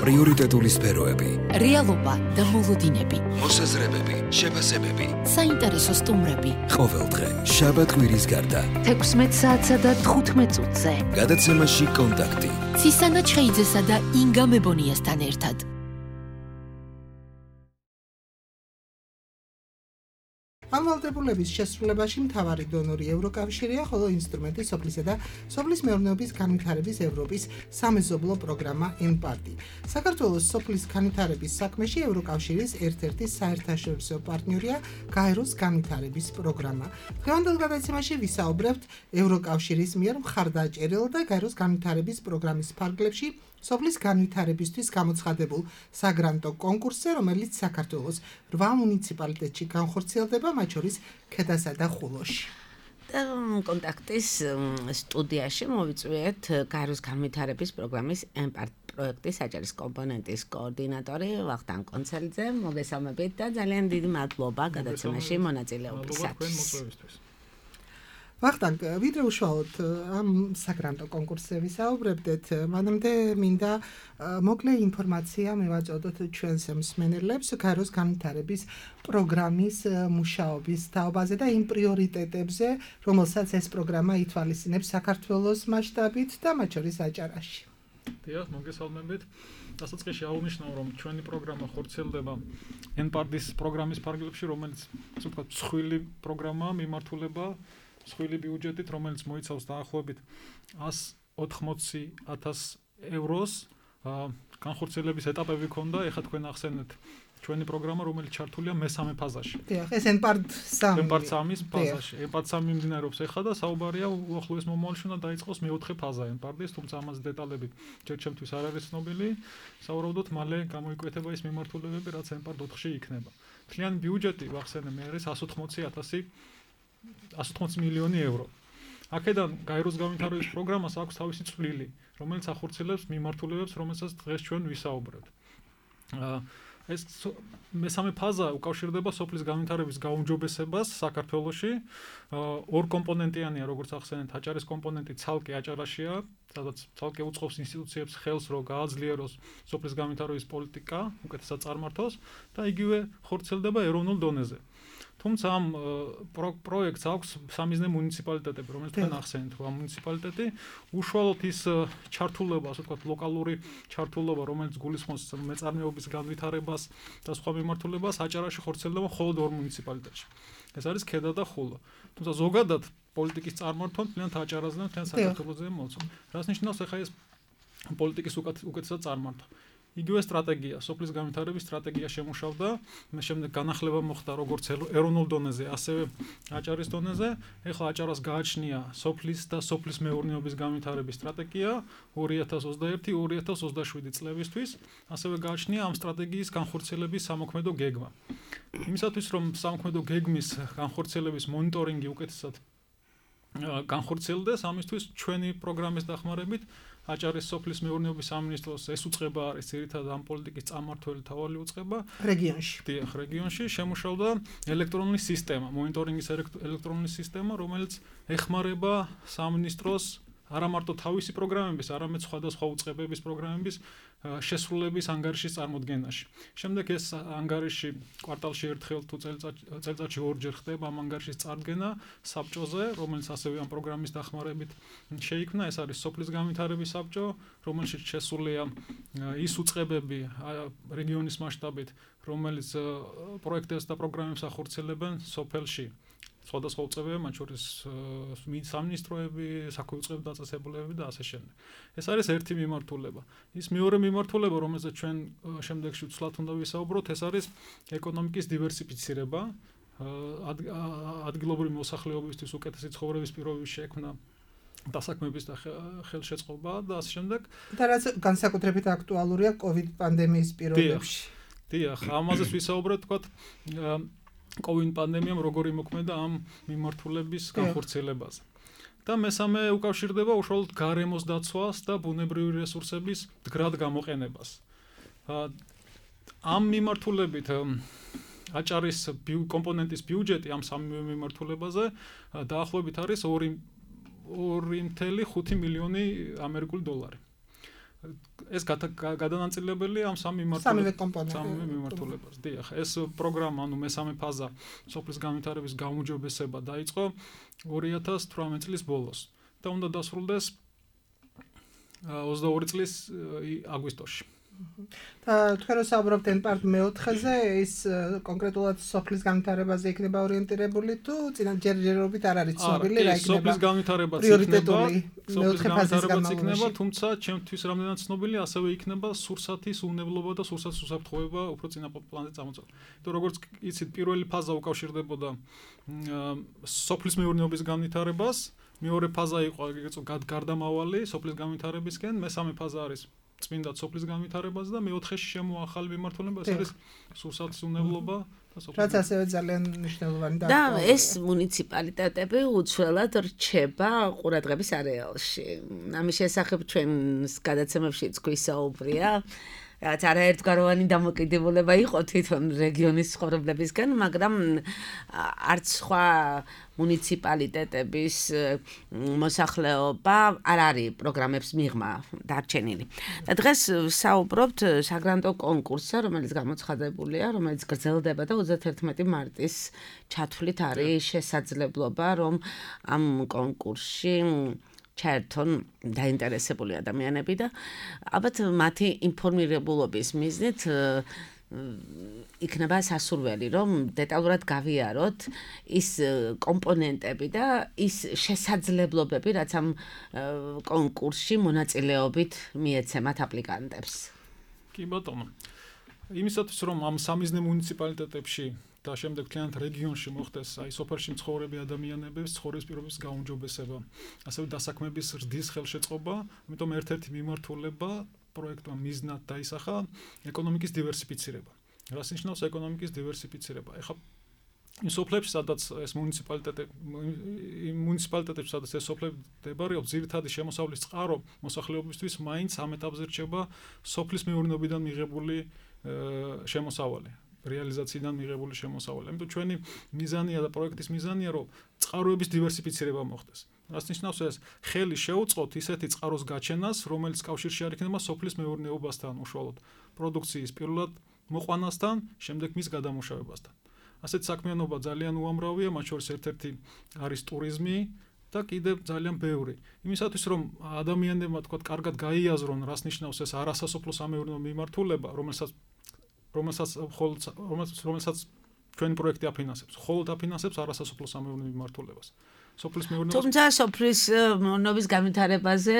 პრიორიტეტული სფეროები, რეალობა და მოლოდინები, მოსაზრებები, შეფასებები, საინტერესო სტუმრები. ყოველდღე, შაბათ-კვირის გარდა, 16 საათსა და 15 წუთზე. გადაცემაში კონტაქტი. ცისანა ჩხეიძესა და ინგა მებონიასთან ერთად. ამ ვალდებულების შესრულებაში მთავარი დონორი ევროკავშირია, ხოლო ინსტრუმენტი სოფლისა და სოფლის მეურნეობის განვითარების ევროპის სამეზობლო პროგრამა ENPART. საქართველოს სოფლის განვითარების საქმეში ევროკავშირის ერთ-ერთი საერთაშორისო პარტნიორია გაეროს განვითარების პროგრამა. დღევანდელ გადაცემაში ვისაუბრებთ ევროკავშირის მიერ მხარდაჭერილ და გაეროს განვითარების პროგრამის ფარგლებში სოფლის განვითარებისთვის გამოცხადებულ საგრანტო კონკურსზე, რომელიც საქართველოს 8 მუნიციპალიტეტში განხორციელდება, მათ შორის ქედასა და ხულოში. კონტაქტის სტუდიაში მოვიწვიეთ გაეროს განვითარების პროგრამის ENPART პროექტის აჭარის კომპონენტის კოორდინატორი ვახტანგ კონცელიძე. მოგესალმებით და ძალიან დიდი მადლობა გადაცემაში მონაწილეობისათვის. ვახტანგ, ვიდრე უშუალოდ ამ საგრანტო კონკურსზე ვისაუბრებდეთ, მანამდე მინდა მოკლე ინფორმაცია მივაწოდოთ ჩვენს მსმენელებს გაეროს განვითარების პროგრამის მუშაობის თაობაზე და იმ პრიორიტეტებზე, რომელსაც ეს პროგრამა ითვალისწინებს საქართველოს მასშტაბით და მათ შორის აჭარაში. დიახ, მოგესალმებით. დასაწყისში აღნიშნავ, რომ ჩვენი პროგრამა ხორციელდება ENPART-ის პროგრამის ფარგლებში, რომელიც ასე ვთქვათ, მსხვილი პროგრამაა, მიმართულება მსხვილი ბიუჯეტით, რომელიც მოიცავს დაახლოებით 180,000 ევროს. განხორციელების ეტაპები ქონდა, ეხლა თქვენ ახსენეთ ჩვენი პროგრამა, რომელიც ჩართულია მესამე ფაზაში. დიახ, ეს ENPART 3. ENPART 3-ის ფაზაში. ENPART 3 მიმდინარეობს ეხლა და საუბარია უახლოეს მომავალში უნდა დაიწყოს მეოთხე ფაზა ENPART-ის, თუმცა ამაზე დეტალები ჯერ ჩემთვის არ არის ცნობილი. სავარაუდოდ მალე გამოიკვეთება ის მიმართულებები, რაც ENPART 4-ში იქნება. მთლიანი ბიუჯეტი ვახსენე მე არის 180 მილიონი евро. აქედან გაეროს განვითარების პროგრამას აქვს თავისი წვლილი, რომელიც ახორციელებს მიმართულებებს, რომელსაც დღეს ჩვენ ვისაუბრებთ. ეს მესამე ფაზა უკავშირდება სოფლის განვითარების გაუმჯობესებას საქართველოში. ორ კომპონენტიანია, როგორც ახსენეთ, აჭარის კომპონენტი ცალკე აჭარაშია, სადაც ცალკე უწყობს ინსტიტუციებს ხელს, რომ გააძლიეროს სოფლის განვითარების პოლიტიკა, უკეთესად წარმართოს და იგივე ხორციელდება ეროვნულ დონეზე. თუმცა ამ პროექტს აქვს სამიზნე მუნიციპალიტეტები, რომელიც თქვენ ახსენეთ, რომ ამ მუნიციპალიტეტი უშუალოდ ის ჩართულობა, ასე ვთქვათ, ლოკალური ჩართულობა, რომელიც გულისხმობს მეწარმეობის განვითარებას და სხვა მიმართულებას, აჭარაში ხორციელდება მხოლოდ ორ მუნიციპალიტეტში. ეს არის ქედა და ხულო. თუმცა ზოგადად პოლიტიკის წარმართვა მთლიანად აჭარაზე და მთლიან საქართველოზე მოწონს. რას ნიშნავს ახლა ეს პოლიტიკის უკეთესად წარმართვა? იგივე სტრატეგია, სოფლის განვითარების სტრატეგია შემუშავდა, შემდეგ განახლება მოხდა როგორც ეროვნულ დონეზე, ასევე აჭარის დონეზე. ეხლა აჭარას გააჩნია სოფლის და სოფლის მეურნეობის განვითარების სტრატეგია 2021-2027 წლებისთვის, ასევე გააჩნია ამ სტრატეგიის განხორციელების სამოქმედო გეგმა. იმისათვის, რომ სამოქმედო გეგმის განხორციელების მონიტორინგი უკეთესად განხორციელდეს, ამისთვის ჩვენი პროგრამის დახმარებით აჭარის სოფლის მეურნეობის სამინისტროს ეს უწყება არის ძირითადად ამ პოლიტიკის წარმმართველი თავალი უწყება რეგიონში. დიახ, რეგიონში შემუშავდა ელექტრონული სისტემა, მონიტორინგის ელექტრონული სისტემა, რომელიც ეხმარება სამინისტროს არა მარტო თავისი პროგრამების, არამედ სხვადასხვა უწყებების პროგრამების შესრულების ანგარიშის წარმოდგენაში. შემდეგ ეს ანგარიში კვარტალში ერთხელ თუ წელიწადში ორჯერ ხდება ამ ანგარიშის წარდგენა საბჭოზე, რომელიც ასევე ამ პროგრამის დახმარებით შეიქმნა. ეს არის სოფლის განვითარების საბჭო, რომელშიც შესულია ის უწყებები რეგიონის მასშტაბით, რომელიც პროექტებს და პროგრამებს ახორციელებენ სოფელში. სხვადასხვა უწყებები, მათ შორის სამინისტროები, საქმე უწყებები, დაწესებულებები და ასე შემდეგ. ეს არის ერთი მიმართულება. ის მეორე მიმართულება, რომელზეც ჩვენ შემდეგში ვცვლად უნდა ვისაუბროთ, ეს არის ეკონომიკის დივერსიფიცირება, ადგილობრივი მოსახლეობისთვის უკეთესი ცხოვრების პირობების შექმნა, დასაქმების და ხელშეწყობა და ასე შემდეგ. და რაც განსაკუთრებით აქტუალურია COVID პანდემიის პირობებში. დიახ, ამაზეც ვისაუბრეთ, თქვათ, COVID პანდემიამ როგორი მოქმედა ამ მიმართულების განხორციელებაზე. და მესამე უკავშირდება უშუალოდ გარემოს დაცვას და ბუნებრივი რესურსების მდგრად გამოყენებას. ამ მიმართულებით აჭარის კომპონენტის ბიუჯეტი ამ სამივე მიმართულებაზე დაახლოებით არის 2.5 მილიონი ამერიკული დოლარი. ეს გადანაწილებელი ამ სამი მიმართულებას. დიახ, ეს პროგრამა, ანუ მესამე ფაზა სოფლის განვითარების გაუმჯობესება დაიწყო 2018 წლის ბოლოს და უნდა დასრულდეს 22 წლის აგვისტოში. და თქვენ რო საუბრობთ ენპარტ მეოთხეზე, ის კონკრეტულად სოფლის განვითარებაზე იქნება ორიენტირებული თუ ჯერჯერობით არ არის ცნობილი რა იქნება? სოფლის განვითარებაც იქნება, თუმცა ჩემთვის რამდენად ცნობილი, ასევე იქნება სურსათის უნებლობა და სურსათის უსაფრთხოება უფრო წინა პლანზე წამოწეული. იმიტომ როგორც იცით, პირველი ფაზა უკავშირდებოდა სოფლის მეურნეობის განვითარებას, მეორე ფაზა იყო გარდამავალი სოფლის განვითარებისკენ, მესამე ფაზა არის წმინდა სოფლის განვითარებაზე და მეოთხეში შემოახალი მიმართულება ეს არის სურსათის უნებლობა და სოფლის. რაც ასევე ძალიან მნიშვნელოვანი და ეს მუნიციპალიტეტები უცვლელად რჩება ყურადღების არეალში. ამის შესახებ ჩვენს გადაცემებშიც გვისაუბრია. რაც არაერთგვაროვანი დამოკიდებულება იყო თვითონ რეგიონის ცხოვრებლებისგან, მაგრამ არც სხვა მუნიციპალიტეტების მოსახლეობა არ არის პროგრამებს მიღმა დარჩენილი. და დღეს საუბრობთ საგრანტო კონკურსზე, რომელიც გამოცხადებულია, რომელიც გრძელდება და 31 მარტის ჩათვლით არის შესაძლებლობა, რომ ამ კონკურსში ჩაერთონ დაინტერესებული ადამიანები და ალბათ მათი ინფორმირებულობის მიზნით იქნება სასურველი, რომ დეტალურად გავიაროთ ის კომპონენტები და ის შესაძლებლობები, რაც ამ კონკურსში მონაწილეობით მიეცემათ აპლიკანტებს. კი ბატონო. იმისათვის რომ ამ სამიზნე მუნიციპალიტეტებში და შემდეგ მთლიანად რეგიონში მოხდეს აი სოფელში მცხოვრები ადამიანების ცხოვრების პირობების გაუმჯობესება, ასევე დასაქმების ზრდის ხელშეწყობა, ამიტომ ერთ-ერთი მიმართულება პროექტმა მიზნად დაისახა ეკონომიკის დივერსიფიცირება. რას ნიშნავს ეკონომიკის დივერსიფიცირება? ეხლა იმ სოფლებში, სადაც ეს მუნიციპალიტეტებში, სადაც ეს სოფლები მდებარეობს, ძირითადი შემოსავლის წყარო მოსახლეობისთვის მაინც ამ ეტაპზე რჩება სოფლის მეურნეობიდან მიღებული შემოსავალი. რეალიზაციიდან მიღებული შემოსავალი. ამიტომ ჩვენი მიზანია და პროექტის მიზანია, რომ წყაროების დივერსიფიცირება მოხდეს. რას ნიშნავს ეს? ხელი შეუწყოთ ისეთი წყაროს გაჩენას, რომელიც კავშირში არ იქნება სოფლის მეურნეობასთან, უშუალოდ პროდუქციის პირველად მოყვანასთან, შემდეგ მის გადამუშავებასთან. ასეთ საქმიანობა ძალიან უამრავია, მათ შორის ერთ-ერთი არის ტურიზმი და კიდევ ძალიან ბევრი. იმისათვის რომ ადამიანებმა თქვა კარგად გაიაზრონ, რას ნიშნავს ეს არასასოფლო სამეურნეო მიმართულება, რომელსაც ჩვენი პროექტი აფინანსებს. ხოლოდ აფინანსებს არასასოფლო სამეურნეო მიმართულებას. სოფლის მეურნეობას. თუმცა სოფლის მეურნეობის განვითარებაზე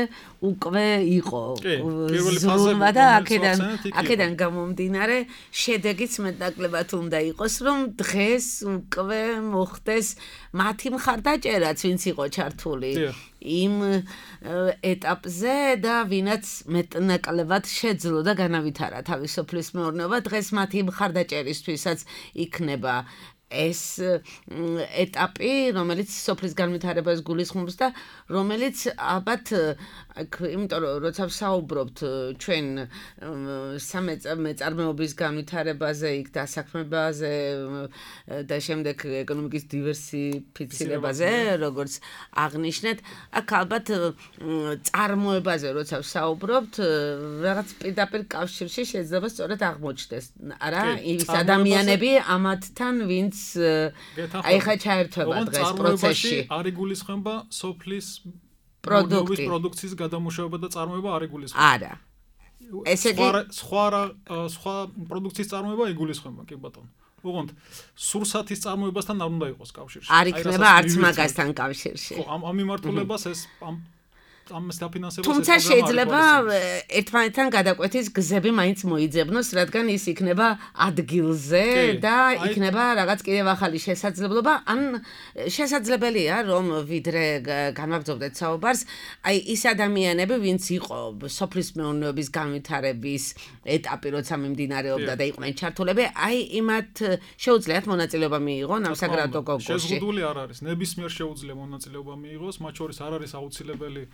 უკვე იყო ზრუნვა და აქედან გამომდინარე შედეგიც მეტნაკლებად უნდა იყოს, რომ დღეს უკვე მოხდეს მათი მხარდაჭერაც, ვინც იყო ჩართული იმ ეტაპზე და ვინაც მეტნაკლებად შეძლო და განავითარა თავის სოფლის მეურნეობა, დღეს მათი მხარდაჭერისთვისაც იქნება ეს ეტაპი, რომელიც სოფლის განვითარებას გულისხმობს და რომელიც ალბათ იმიტომ რომ როცა ვსაუბრობთ ჩვენ სამეწარმეობის განვითარებაზე, იქ დასაქმებაზე და შემდეგ ეკონომიკის დივერსიფიცირებაზე, როგორც აღნიშნეთ, აქ ალბათ წარმოებაზე როცა ვსაუბრობთ, რაღაც პირდაპირ კავშირში შეიძლება სწორედ აღმოჩნდეს, არა, ის ადამიანები ამათთან, ვინც აი ხა ჩაერთვება დღეს პროცესში. არ იგულისხმება სოფლის პროდუქციის გადამუშავება და წარმოება არ იგულისხმება. არა. ესე იგი სხვა პროდუქციის წარმოება იგულისხმება, კი ბატონო. უღონდ სურსათის წარმოებასთან არ უნდა იყოს კავშირში. არ იქნება არც მაგასთან კავშირში. ხო, ამ მიმართულებას ეს ამას დაფინანსებას თუმცა შეიძლება ერთმანეთთან გადაკვეთის გზები მაინც მოიძებნოს, რადგან ის იქნება ადგილზე და იქნება რაღაც კიდევ ახალი შესაძლებლობა, ან შესაძლებელია, რომ ვიდრე განვაგრძობდეთ საუბარს, აი ის ადამიანები, ვინც იყო სოფლის მეურნეობის განვითარების ეტაპი, როცა მიმდინარეობდა და იყვნენ ჩართულები, აი იმათ შეუძლიათ მონაწილეობა მიიღონ ამ საგრანტო კონკურსში. შეზღუდული არ არის, ნებისმიერ შეუძლია მონაწილეობა მიიღოს, მათ შორის არ არის აუცილებელი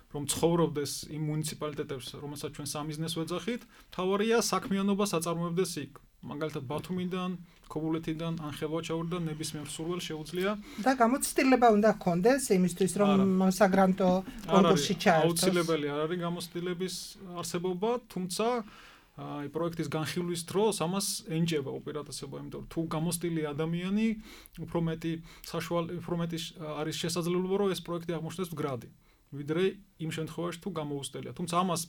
რომ ცხოვრობდეს იმ მუნიციპალიტეტებს, რომელსაც ჩვენ სამიზნეს ვეძახით, თავარია საქმიანობა საწარმოებდეს იქ. მაგალითად ბათუმიდან, ქობულეთიდან, ან ხელვაჩაურიდან ნებისმიერ სურვილს შეუძლია და გამოცდილება უნდა ჰქონდეს იმისთვის, რომ საგრანტო კონკურსში ჩაერთოს. აუცილებელი არ არის გამოცდილების არსებობა, თუმცა აი პროექტის განხილვის დროს ამას ენჯება უპირატესობა, იმიტომ რომ თუ გამოცდილი ადამიანი უფრო მეტი არის შესაძლებლობა, რომ ეს პროექტი აღმოჩნდეს მდგრადი. ვიდრე იმ შემთხვევაში თუ გამოუსტელია. თუმცა ამას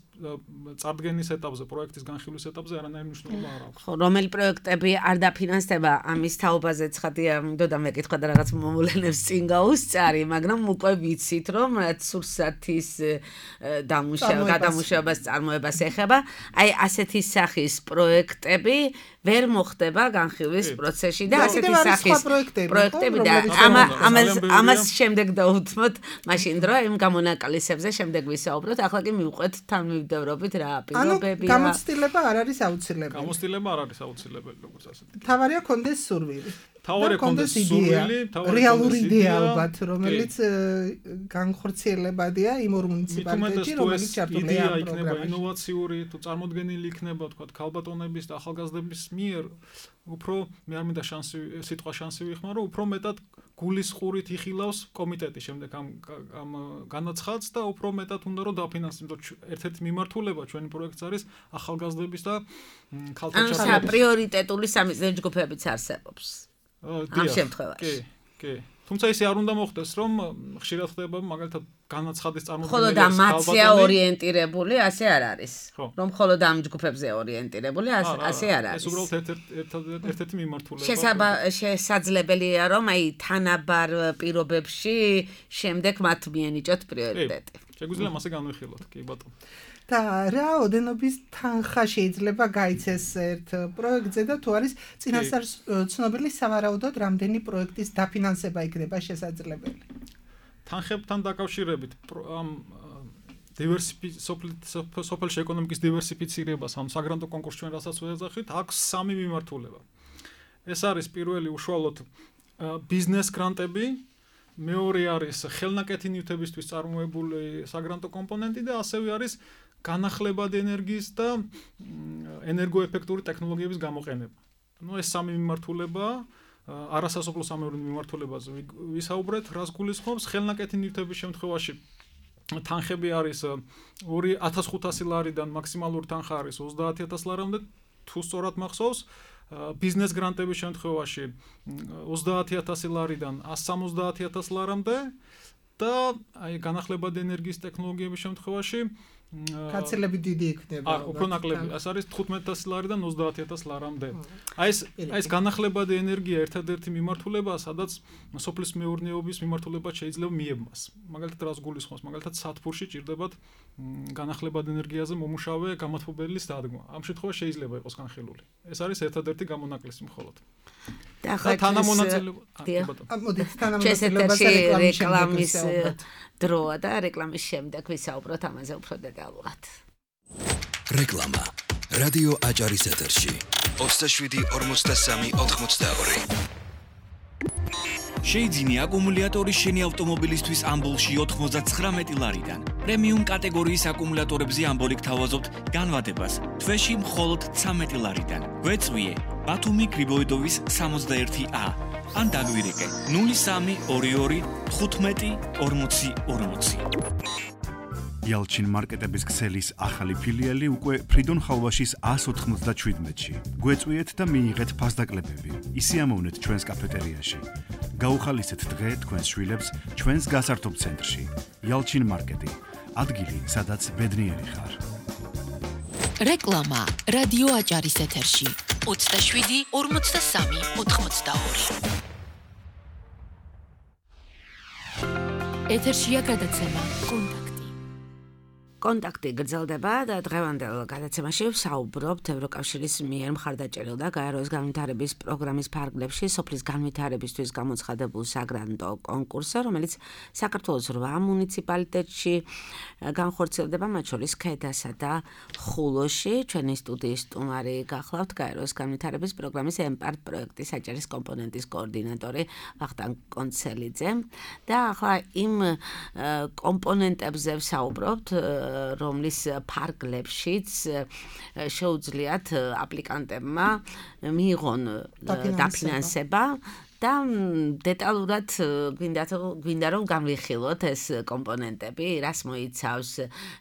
წარდგენის ეტაპზე, პროექტის განხილვის ეტაპზე არანაირი მნიშვნელობა არ აქვს. ხო, რომელი პროექტები არ დაფინანსდება, ამის თაობაზე ცხადია, მინდოდა მეკითხა და რაღაც მომულენებს წინ გაუსწარი, მაგრამ უკვე ვიცით, რომ რაც სურსათის გადამუშავებას წარმოებას ეხება, აი ასეთი სახის პროექტები ვერ მოხდება განხილვის პროცესში და ასეთი სახის პროექტები და ამას შემდეგ დავუთმოთ მაშინ დრო იმ გამონაკალისებზე შემდეგ ვისაუბროთ. ახლა კი მივყვეთ თანმიმდევრობით რა პირობებია. გამოცდილება არ არის აუცილებელი. გამოცდილება არ არის აუცილებელი, როგორც ასეთი. თავარია კონდეს სურვილი. თავარია კონდეს სურვილი, რეალური იდეა ალბათ, რომელიც განხორციელებადია იმ ორ მუნიციპალიტეტში, რომელიც ჩართულია ამ პროგრამაში. ინოვაციური, თუ წარმოდგენილი იქნება, თქვა, ქალბატონების და ახალგაზრდების მიერ, უფრო მე არ მინდა სიტყვა შანსი ვიხმარო, უფრო მეტად გულისყურით იხილავს კომიტეტი შემდეგ ამ განაცხადს და უფრო მეტად უნდა რომ დაფინანსოს, იმიტომ რომ ერთ-ერთი მიმართულება ჩვენი პროექტს არის ახალგაზრდების და ქალთა ჩართვა. ან პრიორიტეტული სამიზნე ჯგუფებიც არსებობს. ამ შემთხვევაში. კი. თუმცა ისე არ უნდა მოხდეს, რომ ხშირად ხდება მაგალითად განაცხადის წარმოდგენა. ხოლო და მათია ორიენტირებული, ასე არ არის. რომ ხოლო და ამ ჯგუფებზე ორიენტირებული, ასე არ არის. ეს უბრალოდ ერთ-ერთი მიმართულება. შესაძლებელია, რომ აი თანაბარ პირობებში შემდეგ მათ მიენიჭოთ პრიორიტეტი. შეგვიძლია მასე განვიხილოთ, კი ბატონო. და რა ოდენობის თანხა შეიძლება გაიცეს ერთ პროექტზე და თუ არის წინასწარ ცნობილი სავარაუდოდ რამდენი პროექტის დაფინანსება იქნება შესაძლებელი? თანხებთან დაკავშირებით ამ სოფელში ეკონომიკის დივერსიფიცირებას ამ საგრანტო კონკურსს ჩვენ რასაც ვეძახით, აქვს სამი მიმართულება. ეს არის პირველი უშუალოდ ბიზნეს გრანტები, მეორე არის ხელნაკეთი ნივთებისთვის წარმოებული საგრანტო კომპონენტი და ასევე არის განახლებადი ენერგიის და ენერგოეფექტური ტექნოლოგიების გამოყენება. ეს სამი მიმართულება არასასოფლო სამეურნეო მიმართულებაზე ვისაუბრეთ, რას გულისხმობს ხელნაკეთი ნივთების შემთხვევაში თანხები არის 2500 ლარიდან მაქსიმალური თანხა არის 30000 ლარამდე, თუ სწორად მახსოვს. ბიზნეს გრანტების შემთხვევაში 30000 ლარიდან 170000 ლარამდე და აი განახლებადი ენერგიის ტექნოლოგიების შემთხვევაში კაცელები დიდი იქნება. უფრო ნაკლები. ეს არის 15000 ლარიდან 30000 ლარამდე. აი ეს განახლებადი ენერგია ერთადერთი მიმართულებაა, სადაც სოფლის მეურნეობის მიმართულება შეიძლება მიებმას. მაგალითად რას გულისხმობს? მაგალითად სათბურში ჭირდებათ განახლებადი ენერგიაზე მომუშავე გამათბობელის დადგმა. ამ შემთხვევაში შეიძლება იყოს განხილული. ეს არის ერთადერთი გამონაკლისი მხოლოდ. და თანამონაწილეობა. მოდით თანამონაწილეობაზე რეკლამის დროა და რეკლამის შემდეგ ვისაუბროთ ამაზე უფრო დეტალურად. რეკლამა. რადიო აჭარის ეთერში 27-43-82. შეიძინე აკუმულატორი შენი ავტომობილისთვის ამბოლში 99 ლარიდან. პრემიუმ კატეგორიის აკუმულატორებზე ამბოლი გთავაზობთ განვადებას თვეში მხოლოდ 13 ლარიდან. გვეწვიე ბათუმი გრიბოიდოვის 61A. ან დაგვირეკე 0322 15 40 40. Yalchin მარკეტების ქსელის ახალი ფილიალი უკვე ფრიდონ ხალვაშის 197-ში. გვეწვიეთ და მიიღეთ ფასდაკლებები. ისიამოვნეთ ჩვენს კაფეტერიაში. გაუხალისეთ დღე თქვენს შვილებს ჩვენს გასართობ ცენტრში. Yalchin მარკეტი. ადგილი, სადაც ბედნიერი ხარ. რეკლამა რადიო აჭარის ეთერში 27 43 82. ეთერშია გადაცემა კონტაქტი გრძელდება და დღევანდელ გადაცემაში ვსაუბრობთ ევროკავშირის მიერ მხარდაჭერილ და გაეროს განვითარების პროგრამის ფარგლებში სოფლის განვითარებისთვის გამოცხადებულ საგრანტო კონკურსზე, რომელიც საქართველოს 8 მუნიციპალიტეტში განხორციელდება, მათ შორის ქედასა და ხულოში. ჩვენი სტუდიის სტუმარი გახლავთ გაეროს განვითარების პროგრამის ემპარტ პროექტის აჭარის კომპონენტის კოორდინატორი ვახტანგ კონცელიძე და ახლა იმ კომპონენტებზე ვსაუბრობთ რომლის ფარგლებშიც შეუძლიათ აპლიკანტებმა მიიღონ დაფინანსება და დეტალურად გვინდა რომ განვიხილოთ ეს კომპონენტები, რას მოიცავს,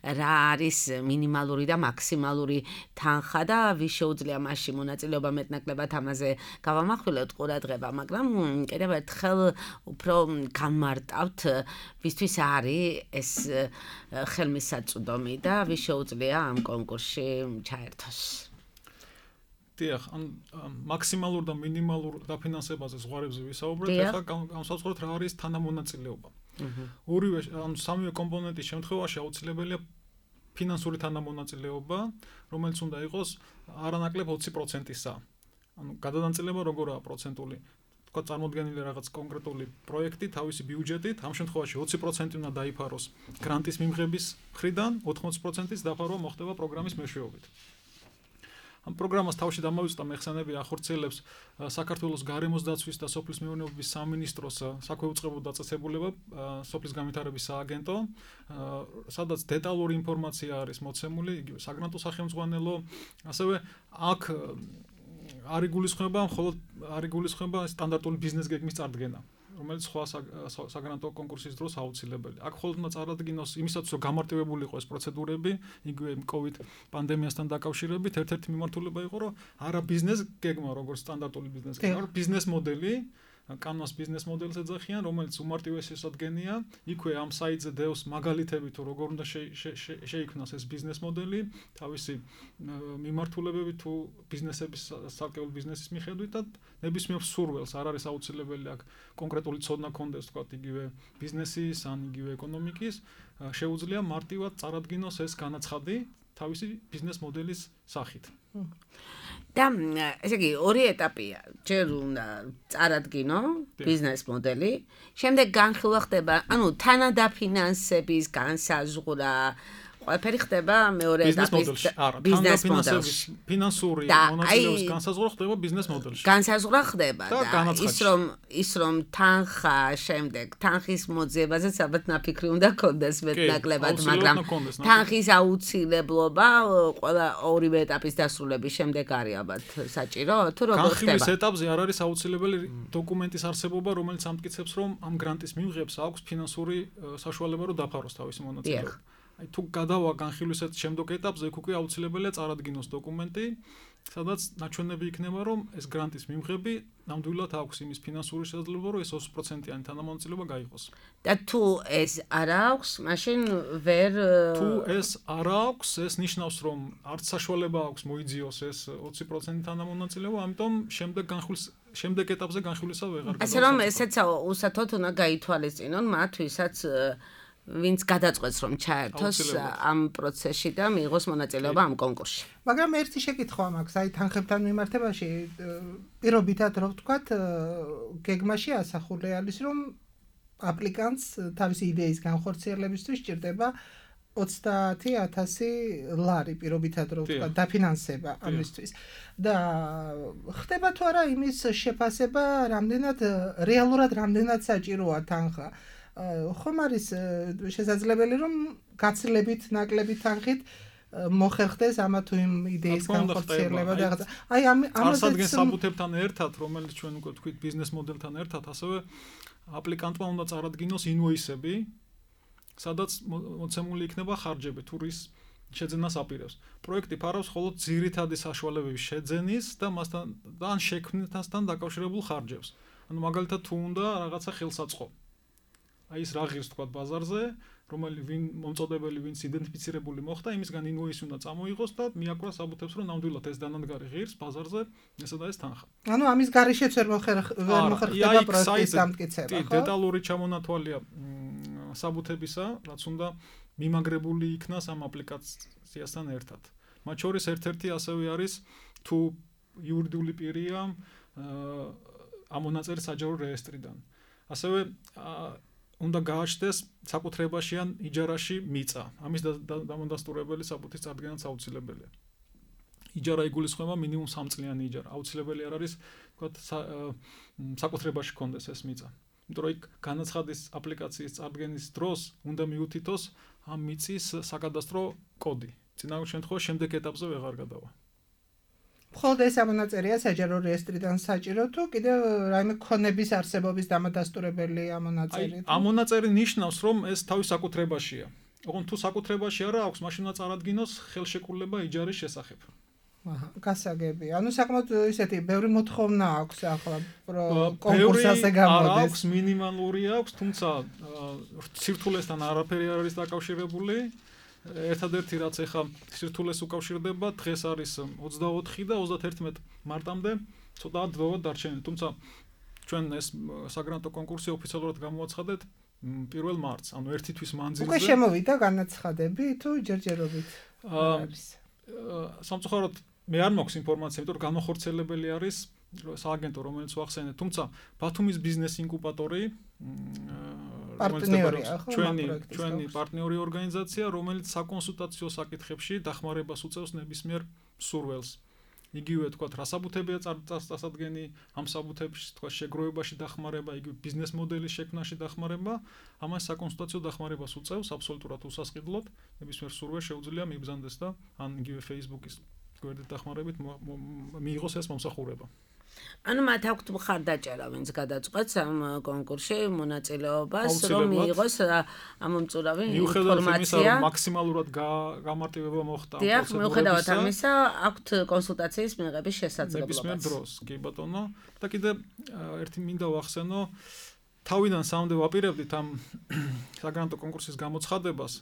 რა არის მინიმალური და მაქსიმალური თანხა და ვის შეუძლია მასში მონაწილეობა მეტნაკლებად ამაზე გავამახვილებთ ყურადღება, მაგრამ კიდევ ერთხელ უფრო განმარტავთ, ვისთვის არის ეს ხელმისაწვდომი და ვის შეუძლია ამ კონკურსში ჩაერთოს. დიახ, მაქსიმალურ და მინიმალურ დაფინანსებაზე ზღვარებზე ვისაუბრეთ, ახლა განსაზღვროთ რა არის თანამონაწილეობა. ორივე სამივე კომპონენტის შემთხვევაში აუცილებელია ფინანსური თანამონაწილეობა, რომელიც უნდა იყოს არანაკლებ 20%-ისა. გადადანაწილება როგორაა პროცენტული? თქვა წარმოდგენილი რაღაც კონკრეტული პროექტი თავისი ბიუჯეტით, ამ შემთხვევაში 20% უნდა დაიფაროს გრანტის მიმღების მხრიდან, 80%-ის დაფარვა მოხდება პროგრამის მეშვეობით. ამ პროგრამას თავში დამოვიწყდა მეხსენები ახორციელებს საქართველოს გარემოს დაცვის და სოფლის მეურნეობის სამინისტროს საქვეუწყებო დაწესებულება, სოფლის განვითარების სააგენტო, სადაც დეტალური ინფორმაცია არის მოცემული, იგივე საგრანტო სახელმძღვანელო, ასევე აქ არ იგულისხმება მხოლოდ სტანდარტული ბიზნეს გეგმის წარდგენა, რომელიც სხვა საგრანტო კონკურსის დროს აუცილებელია. აქ მხოლოდ უნდა წარადგინოს იმისათვის, რომ გამარტივებული იყოს ეს პროცედურები, იგივე COVID პანდემიასთან დაკავშირებით, ერთ-ერთი მიმართულება იყო, რომ არა ბიზნეს გეგმა, როგორც სტანდარტული ბიზნეს გეგმა, მაგრამ ბიზნეს მოდელი, კანვას ბიზნეს მოდელს ეძახიან, რომელიც უმარტივესი სადგენია, იქვე ამ საიტზე დევს მაგალითები თუ როგორ უნდა შეიქმნას ეს ბიზნეს მოდელი, თავისი მიმართულებები თუ ბიზნესების სალკეულ ბიზნესის მიხედვით და ნებისმიერ სურველს არ არის აუცილებელი აქ კონკრეტული ცოდნა კონდეს, თქვათ, იგივე ბიზნესის ან იგივე ეკონომიკის, შეუძლია მარტივად წარადგინოს ეს განაცხადი თავისი ბიზნეს მოდელის სახით. და ესე იგი ორი ეტაპია. ჯერ უნდა წარადგინო ბიზნეს მოდელი, შემდეგ განხილვა ხდება, ანუ თანადაფინანსების განსაზღვრა, ყველაფერი ხდება მეორე ეტაპის ბიზნეს მოდელში. ფინანსური მონაწილეობის განსაზღვრა ხდება ბიზნეს მოდელში. განსაზღვრა ხდება და ის რომ თანხა შემდეგ თანხის მოძიებაზე საბათ ნაფიქრი უნდა კონდეს მეტნაკლებად, მაგრამ თანხის აუცილებლობა ყველა ორივე ეტაპის დასრულების შემდეგ არის ალბათ საჭირო, თუ როგორ ხდება? განხილვის ეტაპზე არ არის აუცილებელი დოკუმენტის არსებობა, რომელიც ამტკიცებს, რომ ამ გრანტის მიმღებს აქვს ფინანსური საშუალება, რომ დაფაროს თავისი მონაწილეობა. Აი თუ გადავა განხილვის შემდეგ ეტაპზე, იქ უკვე აუცილებელია წარადგინოს დოკუმენტი, სადაც ნაჩვენები იქნება, რომ ეს გრანტის მიმღები ნამდვილად აქვს იმის ფინანსური შესაძლებლობა, რომ ეს 20%-იანი თანამონაწილეობა გაიღოს. და თუ ეს არ აქვს, მაშინ ვერ თუ ეს არ აქვს, ეს ნიშნავს, რომ არც საშუალება აქვს მოიძიოს ეს 20% თანამონაწილეობა, ამიტომ შემდეგ ეტაპზე განხილვისა ვეღარ გადავა. ასე რომ ესეც უსათოდ უნდა გაითვალისწინონ მათ, ვისაც ვინც გადაწყვეტს რომ ჩაერთოს ამ პროცესში და მიიღოს მონაწილეობა ამ კონკურსში. მაგრამ ერთი შეკითხვა მაქვს, აი თანხებთან მიმართებაში, პირობითად რო ვთქვათ, გეგმაში ასახული არის, რომ აპლიკანტს თავისი იდეის განხორციელებისთვის სჭირდება 30,000 ლარი პირობითად რო ვთქვათ, დაფინანსება ამისთვის. და ხდება თუ არა იმის შეფასება, რეალურად რამდენად საჭიროა თანხა? ხომ არის შესაძლებელი რომ გაცილებით ნაკლები თანხით მოხერხდეს ამა თუ იმ იდეის განხორციელება და რაღაცა. აი ამაზე საბუთებთან ერთად, რომელიც ჩვენ უკვე თქვით ბიზნეს მოდელთან ერთად, ასევე აპლიკანტმა უნდა წარადგინოს ინვოისები, სადაც მოცემული იქნება ხარჯები თუ რის შეძენას აპირებს. პროექტი ფარავს მხოლოდ ძირითადი საშუალებების შეძენის და მასთან და ან შექმნასთან დაკავშირებულ ხარჯებს. ანუ მაგალითად თუ უნდა რაღაცა ხელსაწყო. აი ის რა ღირს თქვა ბაზარზე, ვინ მომწოდებელი, ვინც იდენტიფიცირებული მოხდა, იმისგან ინვოისი უნდა წამოიღოს და მიაკვრა საბუთებს, რომ ნამდვილად ეს დანადგარი ღირს ბაზარზე, ესა და ეს თანხა. ანუ ამის გარეშეც ვერ მოხერხდება პროექტის დამტკიცება, ხო? დეტალური ჩამონათვალია საბუთებისა, რაც უნდა მიმაგრებული იქნას ამ აპლიკაციასთან ერთად. მათ შორის ერთ-ერთი ასევე არის თუ იურიდიული პირია ამ მონაწილე საჯარო რეესტრიდან. ასევე უნდა გააჩნდეს საკუთრებაში ან იჯარაში მიწა. ამის დამონდასტურებელი საბუთის წარდგენაც აუცილებელია. იჯარა იგულისხმება მინიმუმ 3 წლიანი იჯარა. აუცილებელი არ არის, თქვათ, საკუთრებაში კონდეს ეს მიწა. იმიტომ რომ იქ განაცხადის აპლიკაციის წარდგენის დროს უნდა მიუთითოს ამ მიწის საკადასტრო კოდი. წინა შემთხვევაში შემდეგ ეტაპზე ვეღარ გადავა. მხოლოდ ეს ამონაწერია საჯარო რეესტრიდან საჭირო თუ კიდევ რაიმე ქონების არსებობის დამადასტურებელი ამონაწერი? ამონაწერი ნიშნავს რომ ეს თავის საკუთრებაშია. ოღონდ თუ საკუთრებაში არა აქვს, მაშინ უნდა წარადგინოს ხელშეკრულება იჯარის შესახებ. გასაგები. ანუ საკმაოდ ისეთი ბევრი მოთხოვნა აქვს ახლა კონკურსაზე გამოდის. აქვს მინიმალური აქვს, თუმცა სირთულესთან არაფერი არ არის დაკავშირებული. ერთადერთი რაც ეხა სირთულეს უკავშირდება, დღეს არის 24 და 31 მარტამდე ცოტა დრო დარჩენილი. თუმცა ჩვენ ეს საგრანტო კონკურსი ოფიციალურად გამოაცხადეთ 1 მარტს, ანუ ერთი თვის მანძილზე. უკვე შემოვიდა განაცხადები თუ ჯერჯერობით? სამწუხაროდ მე არ მაქვს ინფორმაცია, იმიტომ რომ განახორციელებელი არის სააგენტო, რომელიც ვახსენეთ, თუმცა ბათუმის ბიზნეს ინკუბატორი ჩვენი პარტნიორი ორგანიზაცია, რომელიც საკონსულტაციო საკითხებში დახმარებას უწევს ნებისმიერ მსურველს. იგივე თქვა რასაბუთებია წარსდგენი, ამ საბუთებში თქვა შეგროვებაში დახმარება, იგივე ბიზნეს მოდელის შექმნაში დახმარება, ამას საკონსულტაციო დახმარებას უწევს აბსოლუტურად უსასყიდლოდ, ნებისმიერ მსურველს შეუძლია მიბრძანდეს და ან იგივე Facebook-ის გვერდით დახმარებით მიიღოს ეს მომსახურება. ანუ მათ აქვთ მხარდაჭერა, ვინც გადაწყვეტს ამ კონკურსში მონაწილეობას, რომ მიიღოს ამ მომწურავი ინფორმაცია. მაქსიმალურად გამარტივება მოხდა ამ პროცედურებისა. მიუხედავად ამისა, აქვთ კონსულტაციის მიღების შესაძლებლობა. ნებისმიერ დროს, კი ბატონო. და კიდე ერთი მინდა ვახსენო, თავიდან სამდე ვაპირებდით ამ საგრანტო კონკურსის გამოცხადებას.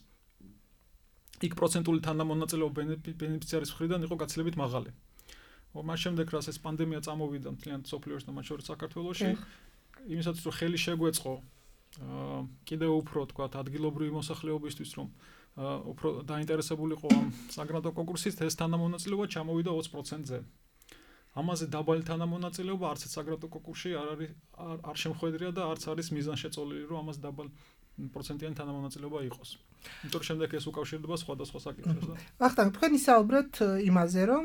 იქ პროცენტული თანამონაწილეობა ბენეფიციარის მხრიდან იყო გაცილებით მაღალი. მას შემდეგ რაც ეს პანდემია წამოვიდა მთლიან სოფლიოში და მათ შორის საქართველოში, იმისაც რომ ხელი შეგვეწყო კიდევ უფრო თქვა ადგილობრივი მოსახლეობისთვის, რომ უფრო დაინტერესებულიყო ამ საგრანტო კონკურსით, ეს თანამონაწილეობა ჩამოვიდა 20%-ზე. ამაზე დაბალი თანამონაწილეობა არც საგრანტო კონკურსში არ შემოხვედრია და არც არის მიზანშეწოლილი, რომ ამას დაბალ პროცენტიანი თანამონაწილეობა იყოს. იმიტომ რომ შემდეგ ეს უკავშირდება სხვადასხვა საკითხებს და ვახტანგ, თქვენ ისაუბრეთ იმაზე, რომ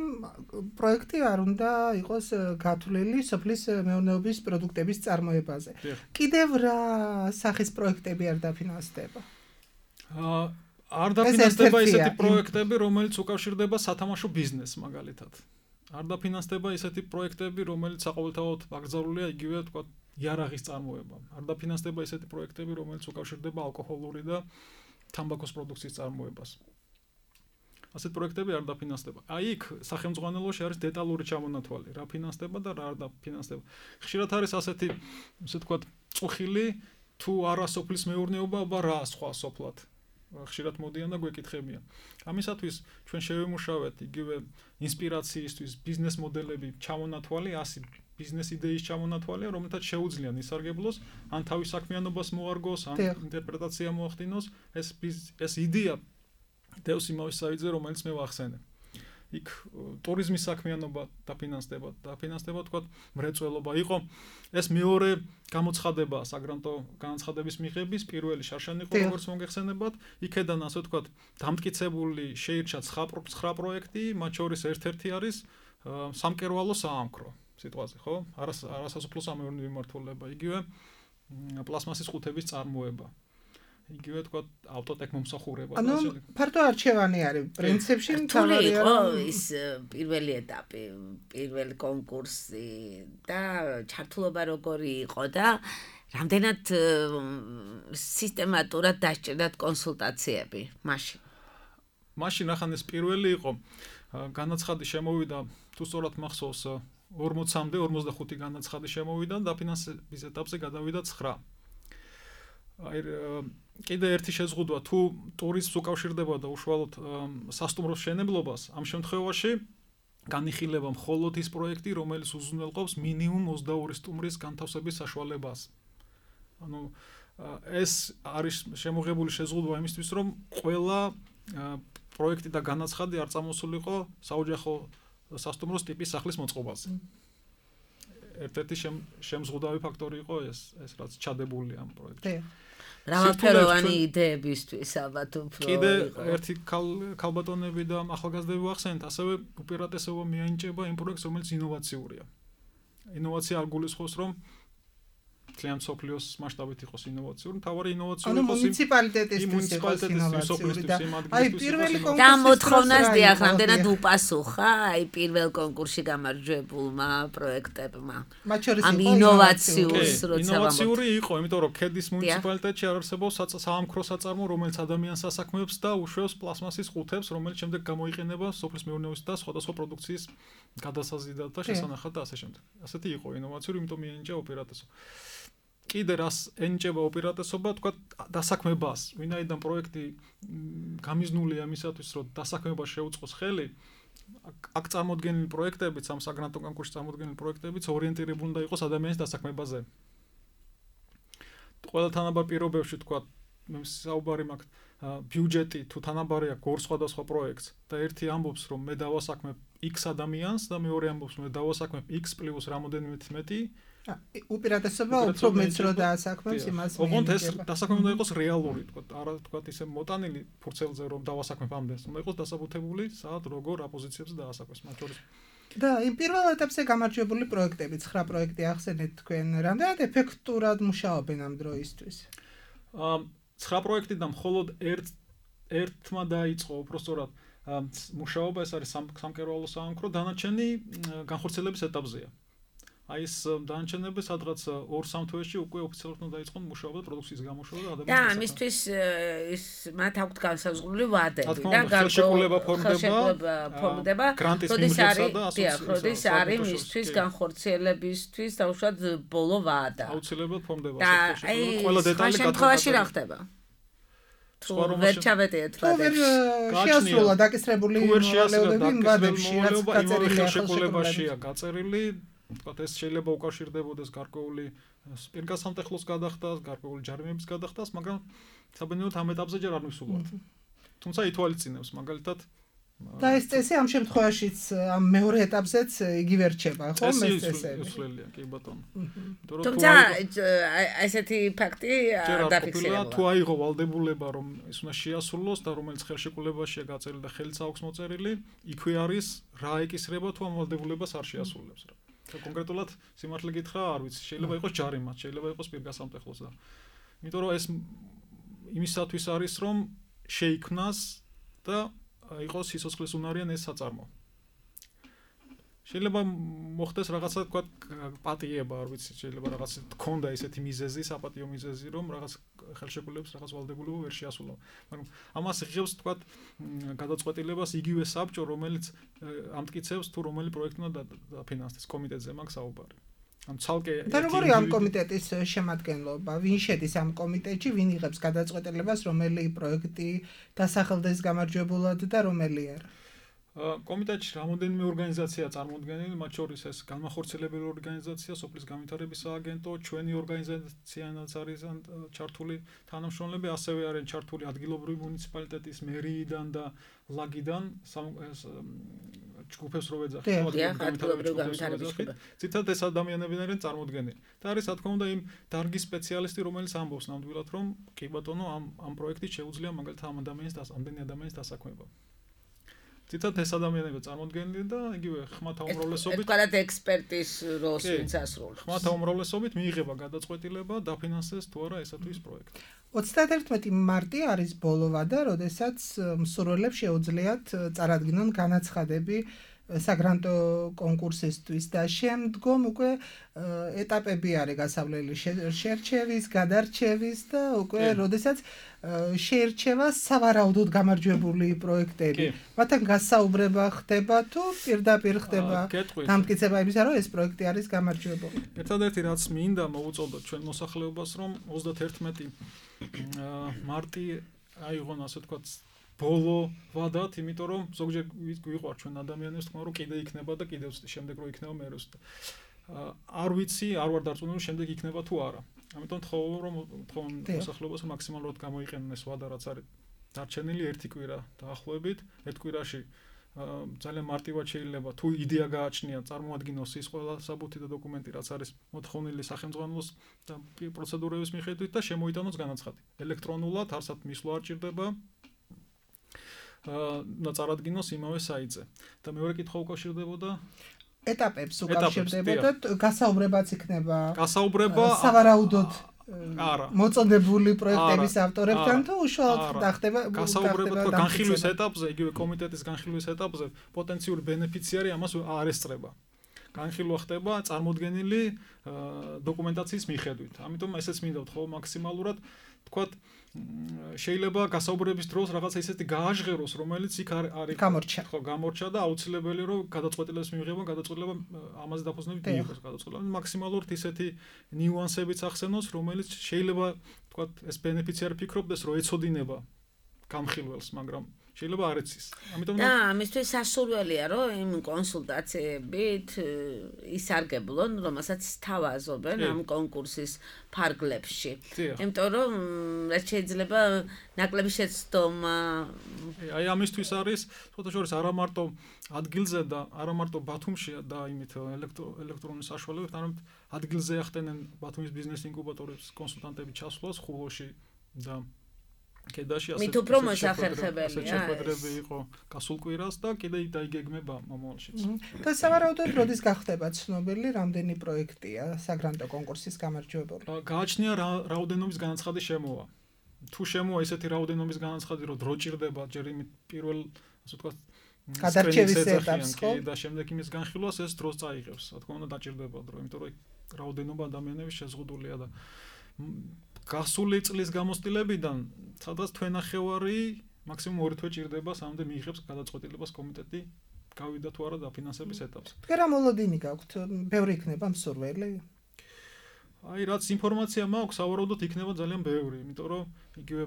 პროექტი არ უნდა იყოს გათვლილი სოფლის მეურნეობის პროდუქტების წარმოებაზე. კიდევ რა სახის პროექტები არ დაფინანსდება? არ დაფინანსდება ისეთი პროექტები, რომელიც უკავშირდება სათამაშო ბიზნესს მაგალითად. არ დაფინანსდება ისეთი პროექტები, რომელიც საყოველთაოდ აკრძალულია იგივე თქვა იარაღის წარმოება. არ დაფინანსდება ისეთი პროექტები, რომელიც უკავშირდება ალკოჰოლური და თამბაქოს პროდუქციის წარმოებას. ასეთ პროექტები არ დაფინანსდება. აი იქ სახელმწიფოში არის დეტალური ჩამონათვალი, რა ფინანსდება და რა არ დაფინანსდება. ხშირად არის ასეთი, ისე ვთქვათ, წუხილი თუ არა სოფლის მეურნეობა, რა სხვა სოფლად. ხშირად მოდიან და გვეკითხებიან. ამისათვის ჩვენ შევემუშავეთ იგივე ინსპირაციისთვის ბიზნეს მოდელები ჩამონათვალი, 100 ბიზნეს იდეის ჩამონათვალია, რომელთაც შეუძლიან ისარგებლოს, ან თავის საქმიანობას მოარგოს, ან ინტერპრეტაცია მოახდინოს, ეს იდეა დევს იმავე საიტზე, რომელიც მე ვახსენე. იქ ტურიზმის საქმიანობა დაფინანსდება, თქვა მრეწველობა იყო. ეს მეორე გამოცხადება საგრანტო განაცხადების მიღების, პირველი შარშანი იყო, როგორც მოგეხსენებათ. იქედან ასე თქვა დამტკიცებული შეირჩა 9 პროექტი, მათ შორის ერთ-ერთი არის სამკერვალო საამქრო. სიტყვაზე, ხო? არასასოფლო სამეურნეო მიმართულება, იგივე პლასმასის ხუთების წარმოება. იგივე თქვა ავტოტეკ მომსახურება. ანუ ფართო არჩევანი არის პრინციპში, მთავარი იყო ის პირველი ეტაპი, პირველი კონკურსი და ჩართულობა როგორი იყო და რამდენად სისტემატურად დასჭირდათ კონსულტაციები მაშინ. მაშინ ახან ეს პირველი იყო, განაცხადი შემოვიდა, თუ სწორად მახსოვს 40-მდე 45 განაცხადი შემოვიდა და დაფინანსების ეტაპზე გადავიდა 9. აი კიდე ერთი შეზღუდვა, თუ ტურიზმს უკავშირდება და უშუალოდ სასტუმროს მშენებლობას, ამ შემთხვევაში განიხილება მხოლოდ ის პროექტი, რომელიც უზრუნველყოფს მინიმუმ 22 სტუმრის განთავსების საშუალებას. ანუ ეს არის შემოღებული შეზღუდვა იმისთვის, რომ ყველა პროექტი და განაცხადი არ წამოსულიყო საოჯახო სასტუმროს ტიპის სახლის მოწყობაზე. ერთ-ერთი შემზღუდავი ფაქტორი იყო ეს რაც ჩადებული ამ პროექტში. მრავალფეროვანი იდეებისთვის ალბათ უფრო კიდე ერთი ქალბატონები და ახალგაზრდები ვახსენეთ, ასევე უპირატესობა მიანიჭება იმ პროექტს, რომელიც ინოვაციურია. ინოვაცია არ გულისხმობს, რომ ძალიან სოფლიოს მასშტაბით იყოს ინოვაციური, თავარი ინოვაციური ანუ იყოს მუნიციპალიტეტისთვის იყოს ინოვაციური და აი პირველი და მოთხოვნას დიახ, რამდენად უპასუხა აი პირველ კონკურსში გამარჯვებულმა პროექტებმა. მათ შორის ამ იყო ინოვაციურს როცა ინოვაციური იყო, იმიტომ რომ ქედის მუნიციპალიტეტში არ არსებობს საამქრო საწარმო, რომელიც ადამიანს ასაქმებს და უშვებს პლასმასის ყუთებს, რომელიც შემდეგ გამოიყენება სოფლის მეურნეობის და სხვადასხვა პროდუქციის გადასაზიდად და შესანახად და ასე შემდეგ. ასეთი იყო ინოვაციური, იმიტომ მიენიჭა უპირატესობა. კიდე რას ენიჭება უპირატესობა, თქვა დასაქმებას, ვინაიდან პროექტი გამიზნულია იმისათვის, რომ დასაქმებას შეუწყოს ხელი, აქ წარმოდგენილი პროექტებიც, ამ საგრანტო კონკურსში წარმოდგენილი პროექტებიც ორიენტირებული უნდა იყოს ადამიანის დასაქმებაზე. ყველა თანაბარ პირობებში თქვა, მე საუბარი მაქვს ბიუჯეტი თუ თანაბარი აქვს ორ სხვადასხვა პროექტს და ერთი ამბობს, რომ მე დავასაქმებ X ადამიანს და მეორე ამბობს, რომ მე დავასაქმებ X + რამოდენიმე მეტი უპირატესობა უფრო მეც რო დაასაქმებს იმას ოღონდ ეს დასაქმება უნდა იყოს რეალური, თქვა, არა თქვა ისე მოტანილი ფურცელზე რომ დავასაქმებ ამდენს, უნდა იყოს დასაბუთებული, საათ როგორ აპოზიციებზე დაასაქმებს, მათ შორის. და იმ პირველ ეტაპზე გამარჯვებული პროექტები, 9 პროექტი ახსენეთ თქვენ, რამდენად ეფექტურად მუშაობენ ამ დროისთვის? 9 პროექტიდან მხოლოდ ერთმა დაიწყო უпростоრად მუშაობა, ეს არის სამკერვალო საამქრო, დანარჩენი განხორციელების ეტაპზეა. აი ეს დანარჩენები სადღაც 2-3 თვეში უკვე ოფიციალურად უნდა დაიწყონ მუშაობა და პროდუქციის გამოშვება და ადამიანის და ამისთვის ის მათ აქვთ განსაზღვრული ვადები და ხელშეკრულება ფორმდება, როდის არის მისთვის განხორციელებისთვის თავშად ბოლო ვადა. აუცილებლად ფორმდება ყველა დეტალი შემთხვევაში რა ხდება? თუ ვერ ჩავეტიეთ ვადებში. შეასრულა დაკისრებული მოვალეობები ვადებში, რაც გაწერილია ხელშეკრულებაშია გაწერილი. თქვა ეს შეიძლება უკავშირდებოდეს გარკვეული პირგასამტეხლოს გადახდას, გარკვეული ჯარიმების გადახდას, მაგრამ საბედნიეროდ ამ ეტაპზე ჯერ არ მისულობთ. თუმცა ითვალისწინებს მაგალითად და ეს წესი ამ შემთხვევაშიც ამ მეორე ეტაპზეც იგივე რჩება, ხო, ეს წესები. უცვლელია, კი ბატონო. თუმცა ესეთი ფაქტი დაფიქსირება. თუ აიღო ვალდებულება, რომ ის უნდა შეასრულოს და რომელიც ხელშეკრულებაშია გაწერილი და ხელიც აქვს მოწერილი, იქვე არის რა ეკისრება თუ ამ ვალდებულებას არ შეასრულებს რა. კონკრეტულად სიმართლე გითხრა, არ ვიცი, შეიძლება იყოს ჯარიმად, შეიძლება იყოს პირგასამტეხლოს და იმიტომ რომ ეს იმისათვის არის, რომ შეიქმნას და იყოს სიცოცხლის უნარიან ეს საწარმო. შეიძლება მოხდეს რაღაცა თქვა პატიება, არ ვიცი, შეიძლება რაღაც თქონდა ესეთი მიზეზი, საპატიო მიზეზი, რომ რაღაც ხელშეკრულებებს რაღაც ვალდებულება ვერ შეასრულა. მაგრამ ამას იღებს თქვა გადაწყვეტილებას იგივე საბჭო, რომელიც ამტკიცებს თუ რომელი პროექტი უნდა დაფინანსდეს, კომიტეტზე მაქვს საუბარი. ან ცალკე და როგორი ამ კომიტეტის შემადგენლობა, ვინ შედის ამ კომიტეტში, ვინ იღებს გადაწყვეტილებას, რომელი პროექტი დასახელდეს გამარჯვებულად და რომელი არა? კომიტეტში რამოდენიმე ორგანიზაციაა წარმოდგენილი, მათ შორის ეს განმახორციელებელი ორგანიზაცია, სოფლის განვითარების სააგენტო, ჩვენი ორგანიზაციაც არის ჩართული თანამშრომლები, ასევე არიან ჩართული ადგილობრივი მუნიციპალიტეტის მერიიდან და ლაგიდან ჯგუფებს რო ვეძახით. ციტად ეს ადამიანები არიან წარმოდგენილი. და არის რა თქმა უნდა იმ დარგის სპეციალისტი, რომელიც ამბობს ნამდვილად, რომ კი ბატონო, ამ პროექტით შეუძლია მაგალითად ამდენი ადამიანის დასაქმება. ციტად ეს ადამიანები წარმოდგენილი და იგივე ხმათა უმრავლესობით ერთგვარად ექსპერტის როლს ვინც ასრულებს. ხმათა უმრავლესობით მიიღება გადაწყვეტილება დაფინანსდეს თუ არა ესა თუ ის პროექტი. 31 მარტი არის ბოლო ვადა, როდესაც მსურველებს შეუძლიათ წარადგინონ განაცხადები საგრანტო კონკურსისთვის და შემდგომ უკვე ეტაპები არის გასავლელი შერჩევის, გადარჩევის და უკვე როდესაც შეერჩევა სავარაუდოდ გამარჯვებული პროექტები. მათთან გასაუბრება ხდება თუ პირდაპირ ხდება დამტკიცება იმისა, რომ ეს პროექტი არის გამარჯვებული. ერთადერთი რაც მინდა მოვუწოდოთ ჩვენ მოსახლეობას, რომ 31 მარტი აიღონ ასე ვთქვათ ბოლო ვადათ, იმიტომ რომ ზოგჯერ გვიყვარ ჩვენ ადამიანებს თქმა რომ კიდე იქნება და კიდევ შემდეგ რო იქნება მე როს. არ ვიცი, არ ვარ დარწმუნებული რომ შემდეგ იქნება თუ არა. ამიტომ თხოვენ მოსახლეობას მაქსიმალურად გამოიყენონ ეს ვადა რაც არის დარჩენილი ერთი კვირა დაახლოებით, ერთ კვირაში ძალიან მარტივად შეიძლება თუ იდეა გააჩნია, წარმოადგინოს ის ყველა საბუთი და დოკუმენტი რაც არის მოთხოვნილი სახელმწიფოს და პროცედურების მიხედვით და შემოიტანოს განაცხადი. ელექტრონულად არსად მისვლა არ ჭირდება. და წარადგინოს იმავე საიტზე. და მეორე კითხვა უკავშირდებოდა ეტაპებს უკავშირდებოდა, გასაუბრებაც იქნება. გასაუბრება სავარაუდოდ არა. მოწოდებული პროექტების ავტორებთან თუ უშუალოდ ხდება გასაუბრება თქვა განხილვის ეტაპზე, იგივე კომიტეტის განხილვის ეტაპზე, პოტენციური ბენეფიციარი ამას არ ესწრება. განხილვა ხდება წარმოდგენილი დოკუმენტაციის მიხედვით. ამიტომ ესეც მინდა ვთქვა მაქსიმალურად თქვათ შეიძლება გასაუბრების დროს რაღაცა ისეთი გააჟღეროს, რომელიც იქ არის გამორჩა. ხო, გამორჩა და აუცილებელი რომ გადაწყვეტილებას მიიღება, გადაწყვეტილება ამაზე დაფუძნებით მიიღოს გადაწყვეტილება. მაქსიმალურად ისეთი ნიუანსებიც ახსენოს, რომელიც შეიძლება თქვათ ეს ბენეფიციარი ფიქრობდეს, რომ ეცოდინება გამხილველს, მაგრამ შეიძლება არ იცის. ამიტომ და ამისთვის სასურველია, რომ იმ კონსულტაციებით ისარგებლონ, რომელსაც თავაზობენ ამ კონკურსის ფარგლებში. იმიტომ რომ რაც შეიძლება ნაკლები შეცდომა აი ამისთვის არის ცოტა შორის არა მარტო ადგილზე და არა მარტო ბათუმში და იმით ელექტრონული საშუალებებით, არამედ ადგილზე ახდენენ ბათუმის ბიზნეს ინკუბატორების კონსულტანტები ჩასვლას ხულოში და კედაში მით უფრო მოსახერხებელია შეხვედრები იყო გასულ კვირას და კიდე დაიგეგმება მომავალშიც. და სავარაუდოდ როდის გახდება ცნობილი რამდენი პროექტია საგრანტო კონკურსის გამარჯვებული? გააჩნია რაოდენობის განაცხადი შემოვა. თუ შემოვა ესეთი რაოდენობის განაცხადი, რომ დრო ჭირდება ჯერ იმით პირველ ასე ვთქვათ გადარჩევის ეტაპს ხო და შემდეგ იმის განხილვას ეს დროს წაიღებს. რა თქმა უნდა დაჭირდება დრო, იმიტომ რომ რაოდენობა ადამიანების შეზღუდულია და გასული წლის გამოცდილებიდან სადაც თვენახევარი მაქსიმუმ 2 თვე ჭირდება სამდე მიიღებს გადაწყვეტილებას კომიტეტი გავიდა თუ არა დაფინანსების ეტაპზე. რა მოლოდინი გაქვთ? ბევრი იქნება მსურველი? აი რაც ინფორმაცია მაქვს, სავარაუდოდ იქნება ძალიან ბევრი, იმიტომ რომ იგივე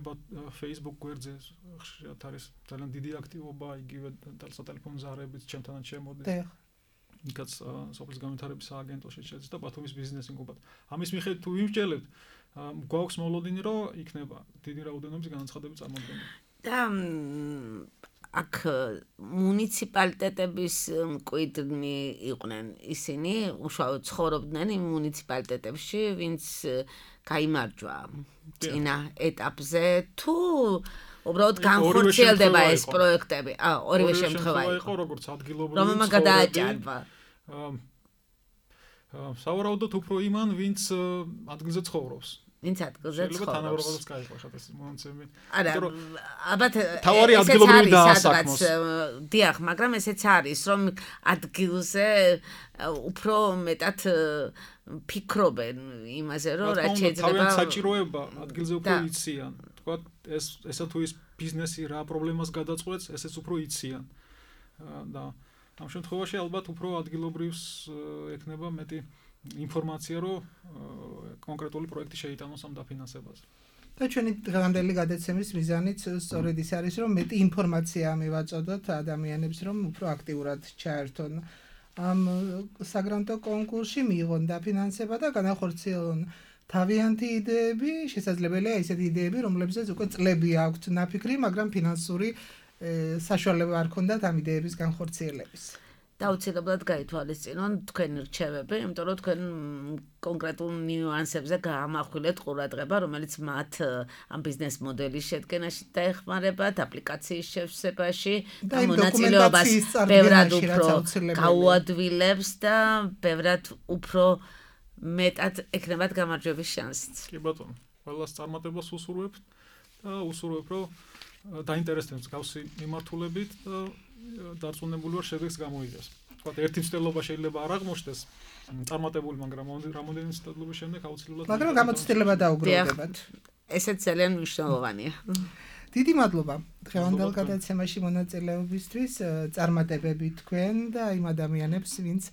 Facebook გვერდზე ხშირად არის ძალიან დიდი აქტივობა, იგივე სატელეფონო ზარებით ჩემთანაც შემოდის. იქაც სოფლის განვითარების სააგენტოში შედის და ბათუმის ბიზნეს ინკუბატორი. ამის მიხედვით თუ ვიმსჯელებთ გვაქვს მოლოდინი, რომ იქნება დიდი რაოდენობის განაცხადები წარმოდგენილი. და აქ მუნიციპალიტეტების მკვიდრნი იყვნენ ისინი, უშუალოდ ცხოვრობდნენ იმ მუნიციპალიტეტებში, ვინც გაიმარჯვა წინა ეტაპზე, თუ უბრალოდ განხორციელდება ეს პროექტები. ორივე შემთხვევა იყო, როგორც ადგილობრივი რომელმა გადააჭარბა. სავარაუდოდ უფრო იმან, ვინც ადგილზე ცხოვრობს. ვინც ადგილზე ცხოვრობს. შეიძლება თანაბრობადაც გაიყო ხათას მონაცემი. არა, ალბათ თავარი ადგილობრივი დაასაქმოს. დიახ, მაგრამ ესეც არის, რომ ადგილზე უფრო მეტად ფიქრობენ იმაზე, რომ რა შეიძლება თავიანთ საჭიროება ადგილზე უფრო იციან. თქვა ესა თუ ის ბიზნესი რა პრობლემას გადაწყვეტს, ესეც უფრო იციან. და ამ შემთხვევაში ალბათ უფრო ადგილობრივს ექნება მეტი ინფორმაცია, რომ კონკრეტული პროექტი შეიტანოს ამ დაფინანსებაზე. და ჩვენი დღევანდელი გადაცემის მიზანიც სწორედ ის არის, რომ მეტი ინფორმაცია მივაწოდოთ ადამიანებს, რომ უფრო აქტიურად ჩაერთონ ამ საგრანტო კონკურსში, მიიღონ დაფინანსება და განახორციელონ თავიანთი იდეები, შესაძლებელია ისეთი იდეები, რომლებზეც უკვე წლები აქვთ ნაფიქრი, მაგრამ ფინანსური საშუალება არ ქონდათ ამ იდეების განხორციელების. დაუცილებლად გაითვალისწინონ თქვენი რჩევები, იმიტომ რომ თქვენ კონკრეტულ ნიუანსებზე გაამახვილეთ ყურადღება, რომელიც მათ ამ ბიზნეს მოდელის შედგენაში დაეხმარებათ, აპლიკაციის შევსებაში და მონაწილეობას ბევრად უფრო გაუადვილებს და ბევრად უფრო მეტად ექნებათ გამარჯვების შანსიც. კი ბატონო, ყველას წარმატებას უსურვებთ და უსურვებ, რომ დაინტერესდეთ გავსი მიმართულებით და დარწმუნებული ვარ შედეგს გამოიღებს. თქვათ ერთი მცდელობა შეიძლება არ აღმოჩნდეს წარმატებული, მაგრამ რამოდენიმე მცდელობის შემდეგ აუცილებლად მაგრამ გამოცდილება დაუგროვდებათ. ესეც ძალიან მნიშვნელოვანია. დიდი მადლობა დღევანდელ გადაცემაში მონაწილეობისთვის, წარმატებები თქვენ და იმ ადამიანებს, ვინც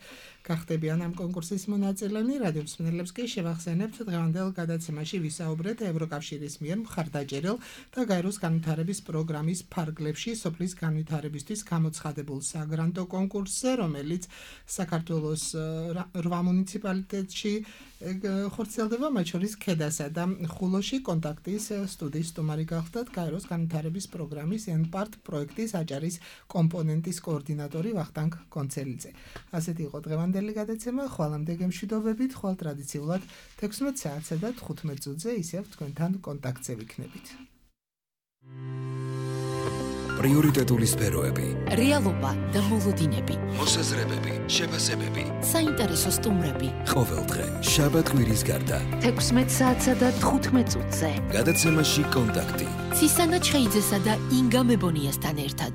გახდებიან ამ კონკურსის მონაწილენი. რადიო მსმენელებს კი შევახსენებთ, დღევანდელ გადაცემაში ვისაუბრეთ ევროკავშირის მიერ მხარდაჭერილ და გაეროს განვითარების პროგრამის ფარგლებში სოფლის განვითარებისთვის გამოცხადებულ საგრანტო კონკურსზე, რომელიც საქართველოს 8 მუნიციპალიტეტში ხორციელდება, მათ შორის ქედასა და ხულოში. კონტაქტის სტუდიის სტუმარი გახდათ გაეროს განვითარების პროგრამის NPART პროექტის აჭარის კომპონენტის კოორდინატორი ვახტანგ კონცელიძე. ასეთი იყო დღევანდელი გადაცემა, ხვალამდე გემშვიდობებით, ხვალ ტრადიციულად 16 საათსა და 15 წუთზე ისევ თქვენთან კონტაქტზე ვიქნებით. პრიორიტეტული სფეროები, რეალობა და მოლოდინები, მოსაზრებები, შეფასებები. საინტერესო სტუმრები. ყოველდღე, შაბათ-კვირის გარდა. 16 საათსა და 15 წუთზე. გადაცემაში კონტაქტი. ცისანა ჩხეიძესა და ინგა მებონიასთან ერთად.